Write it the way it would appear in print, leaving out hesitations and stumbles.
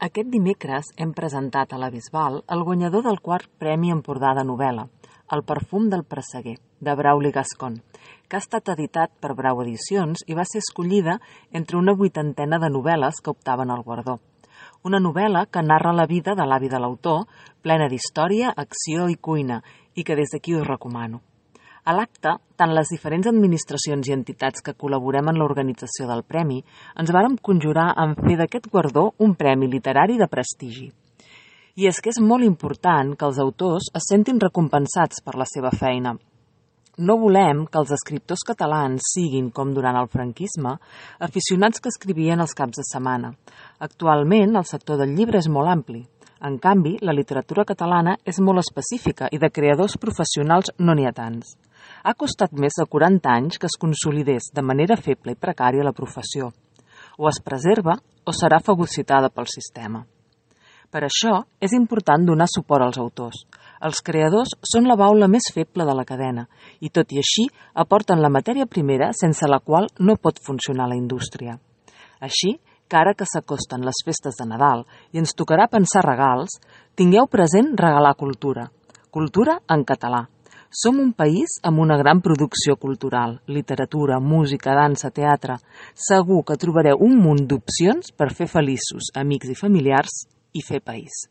Aquest dimecres hem presentat a la Bisbal el guanyador del quart Premi Empordà de novel·la, El perfum del presseguer, de Brauli Gascon, que ha estat editat per Brau Edicions i va ser escollida entre una 80ena de novel·les que optaven al guardó. Una novel·la que narra la vida de l'avi de l'autor, plena d'història, acció i cuina, i que des d'aquí us recomano. A l'acte, tant les diferents administracions i entitats que col·laborem en l'organització del premi ens vàrem conjurar en fer d'aquest guardó un premi literari de prestigi. I és que és molt important que els autors es sentin recompensats per la seva feina. No volem que els escriptors catalans siguin, com durant el franquisme, aficionats que escrivien els caps de setmana. Actualment, el sector del llibre és molt ampli. En canvi, la literatura catalana és molt específica i de creadors professionals no n'hi ha tants. Ha costat més de 40 anys que es consolidés de manera feble i precària la professió. O es preserva o serà fagocitada pel sistema. Per això, és important donar suport als autors. Els creadors són la baula més feble de la cadena i, tot i així, aporten la matèria primera sense la qual no pot funcionar la indústria. Així, que ara que s'acosten les festes de Nadal i ens tocarà pensar regals, tingueu present regalar cultura. Cultura en català. Som un país amb una gran producció cultural, literatura, música, dansa, teatre. Segur que trobareu un munt d'opcions per fer feliços amics i familiars i fer país.